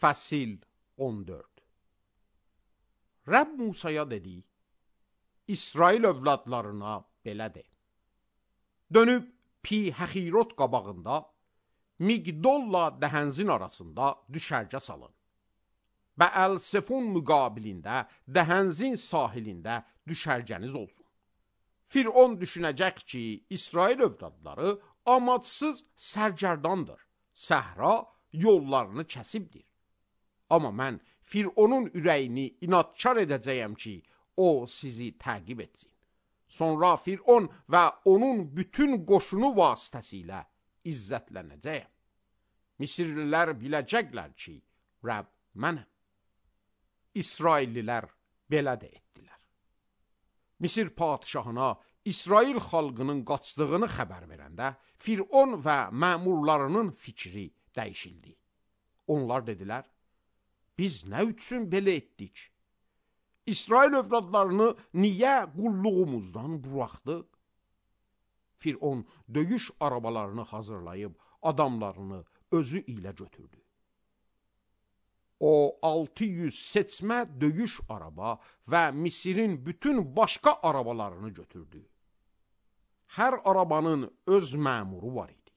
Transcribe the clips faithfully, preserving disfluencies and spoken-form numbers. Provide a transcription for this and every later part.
Fəsil on dörd. Rəbb Musaya dedi, İsrail övladlarına belə de. Dönüb Pi Həhirot qabağında, Migdolla Dəhənzin arasında düşərgə salın. Bəəl-Sefon müqabilində Dəhənzin sahilində düşərgəniz olsun. Firon düşünəcək ki, İsrail övladları amadsız sərgərdandır. Səhra yollarını kəsibdir. Amma mən Fironun ürəyini inadkar edəcəyəm ki, o sizi təqib etsin. Sonra Firon və onun bütün qoşunu vasitəsilə izzətlənəcəyəm. Misirlilər biləcəklər ki, Rəbb mənəm. İsraillilər belə də etdilər. Misir padişahına İsrail xalqının qaçdığını xəbər verəndə Firon və məmurlarının fikri dəyişildi. Onlar dedilər, biz nə üçün belə etdik? İsrail övladlarını niyə qulluğumuzdan buraxdıq? Firon döyüş arabalarını hazırlayıb adamlarını özü ilə götürdü. O altı yüz seçmə döyüş araba və Misirin bütün başqa arabalarını götürdü. Hər arabanın öz məmuru var idi.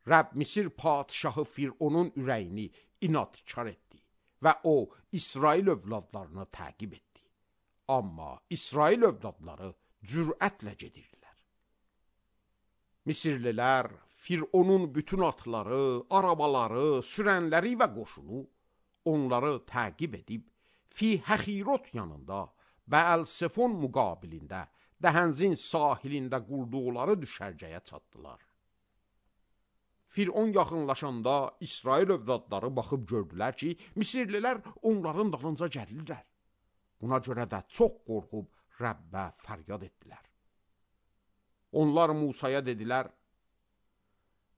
Rəbb Misir padişahı Fironun ürəyini inadkar etdi və o İsrail övladlarını təqib etdi. Amma İsrail övladları cürətlə gedirdilər. Misirlilər Fironun bütün atları, arabaları, sürənləri və qoşunu onları təqib edib Fi Həhirot yanında Bəəl-Sefon müqabilində Dəhənzin sahilində qurduqları düşərgəyə çatdılar. Firon yaxınlaşanda İsrail övladları baxıb gördülər ki, Misirlilər onların dalınca gəlirlər. Buna görə də çox qorxub Rəbbə fəryad etdilər. Onlar Musaya dedilər,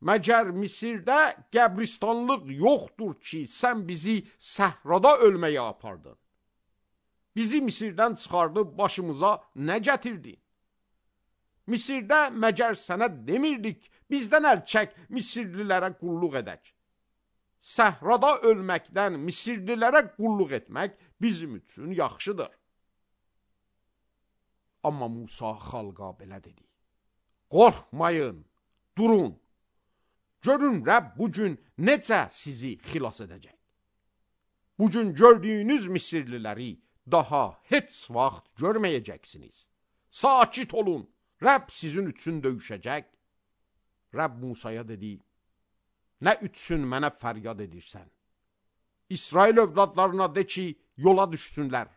məgər Misirdə qəbristanlıq yoxdur ki, sən bizi səhrada ölməyə apardın? Bizi Misirdən çıxardıb başımıza nə gətirdin? Misirdə məgər sənə demirdik, bizdən əl çək, Misirlilərə qulluq edək. Səhrada ölməkdən Misirlilərə qulluq etmək bizim üçün yaxşıdır. Amma Musa xalqa belə dedi. Qorxmayın, durun. Görün Rəbb bugün necə sizi xilas edəcək. Bugün gördüyünüz Misirliləri daha heç vaxt görməyəcəksiniz. Sakit olun, Rəbb sizin üçün döyüşəcək. Rəbb Musaya dedi, nə üçün mənə fəryad edirsən? İsrail övladlarına de ki, yola düşsünlər.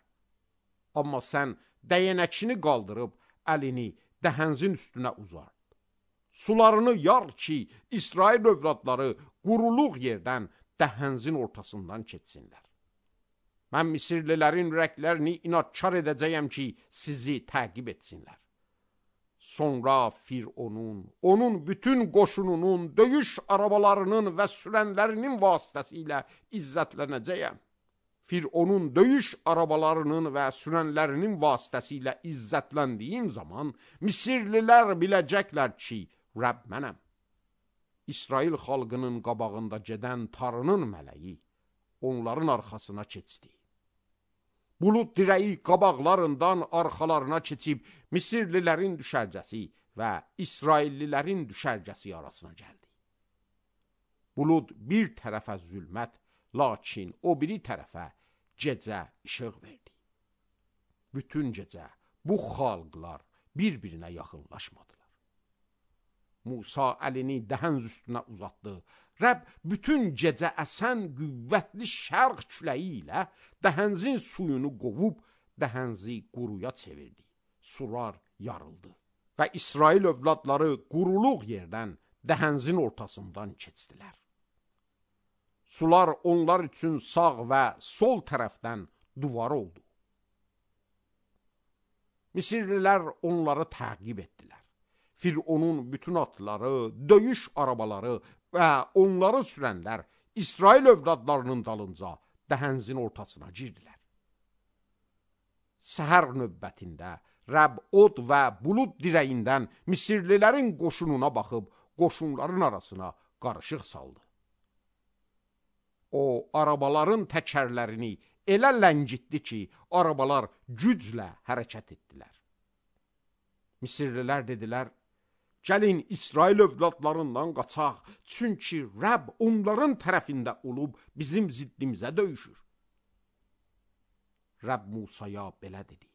Amma sən dəyənəkini qaldırıb əlini Dəhənzin üstünə uzart. Sularını yar ki, İsrail övladları quruluq yerdən Dəhənzin ortasından keçsinlər. Mən Misirlilərin ürəklərini inadkar edəcəyəm ki, sizi təqib etsinlər. Sonra Fironun, onun bütün qoşununun, döyüş arabalarının və sürənlərinin vasitəsilə izzətlənəcəyəm. Fironun döyüş arabalarının və sürənlərinin vasitəsilə izzətləndiyim zaman Misirlilər biləcəklər ki, Rəbb mənəm. İsrail xalqının qabağında gedən Tarının mələyi onların arxasına keçdi. Bulud dirəyi qabaqlarından arxalarına keçib Misirlilərin düşərgəsi və İsraillilərin düşərgəsi arasına gəldi. Bulud bir tərəfə zülmət, lakin o biri tərəfə gecə işıq verdi. Bütün gecə bu xalqlar bir-birinə yaxınlaşmadılar. Musa əlini Dəhənz üstünə uzatdı. Rəbb bütün gecə əsən qüvvətli şərq küləyi ilə Dəhənzin suyunu qovub Dəhənzi quruya çevirdi. Sular yarıldı və İsrail övladları quruluq yerdən Dəhənzin ortasından keçdilər. Sular onlar üçün sağ və sol tərəfdən duvar oldu. Misirlilər onları təqib etdilər. Fironun bütün atları, döyüş arabaları və onları sürənlər İsrail övladlarının dalınca Dəhənzin ortasına girdilər. Səhər növbətində Rəbb od və bulud dirəyindən Misirlilərin qoşununa baxıb qoşunların arasına qarışıq saldı. O, arabaların təkərlərini elə ləngitdi ki, arabalar güclə hərəkət etdilər. Misirlilər dedilər, gəlin İsrail övladlarından qaçaq, çünki Rəbb onların tərəfində olub bizim ziddimizə döyüşür. Rəbb Musaya belə dedi.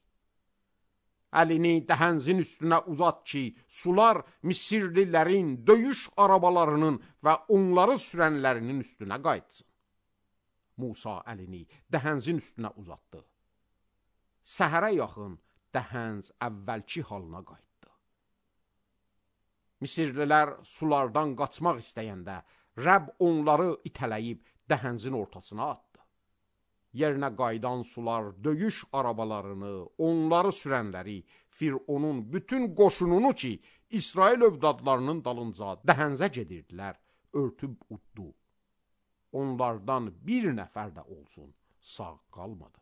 Əlini dəhənzin üstünə uzat ki, sular Misirlilərin döyüş arabalarının və onları sürənlərinin üstünə qayıtsın. Musa əlini dəhənzin üstünə uzatdı. Səhərə yaxın dəhənz əvvəlki halına qayıtdı. Misirlilər sulardan qaçmaq istəyəndə Rəbb onları itələyib dəhənzin ortasına atdı. Yerinə qayıdan sular döyüş arabalarını, onları sürənləri, Fironun bütün qoşununu ki, İsrail övladlarının dalınca dəhənzə gedirdilər, örtüb uddu. Onlardan bir nəfər də olsun sağ qalmadı.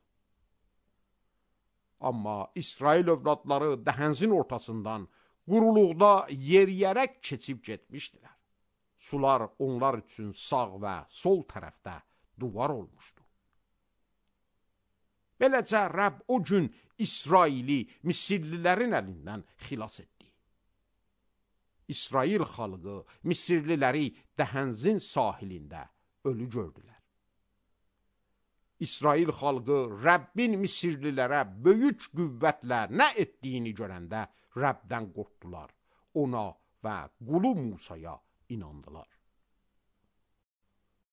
Amma İsrail övladları dəhənzin ortasından quruluqda yeriyərək keçib getmişdilər. Sular onlar üçün sağ və sol tərəfdə duvar olmuşdu. Beləcə Rəbb o gün İsraili Misirlilərin əlindən xilas etdi. İsrail xalqı Misirliləri dəhənzin sahilində ölü gördülər. İsrail xalqı Rəbbin Misirlilərə böyük qüvvətlə nə etdiyini görəndə Rəbdən qorxdular, ona və qulu Musaya inandılar.